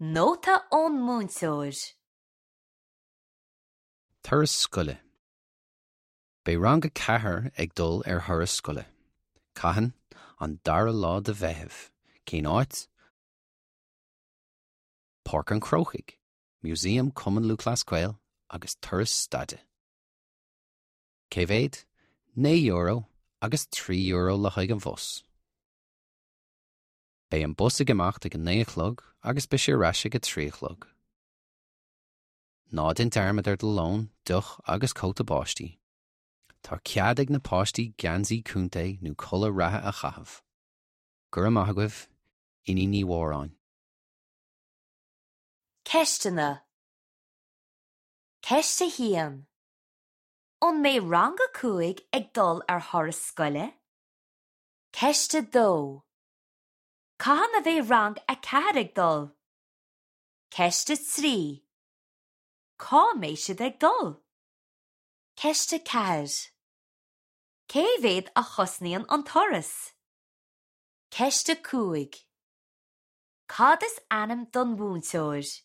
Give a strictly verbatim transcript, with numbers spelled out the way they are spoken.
Nóta ón múinteoir. Turas scoile. Beidh rang a ceathair ag dul ar thuras scoile. Cathain an dara lá de Mheitheamh, cén áit? Páirc an Chrócaigh, Músaem Cumann Lúthchleas Gael agus turas staide. Cé mhéad? Naoi euro agus trí euro le haghaidh an bhus. Beidh an bus ag imeacht ag a naoi a chlog agus beidh sé ar ais ag a trí a chlog. Ná déan dearmad ar do lón, deoch agus cóta báistí. Tá cead ag na páistí geansaí contae nó culaith reatha a chaitheamh. Go raibh maith agaibh, Iníon Ní Mhóráin. Ceisteanna Ceist a haon. An mbeidh rang a cúig ag dul ar thuras scoile? Ceist a dó. Cathain a bheidh rang a ceathair ag dul? Ceist a trí. Cá mbeidh siad ag dul? Ceist a ceathair. Cé mhéad a chosnaíonn an turas? Ceist a cúig. Cad is ainm don mhúinteoir?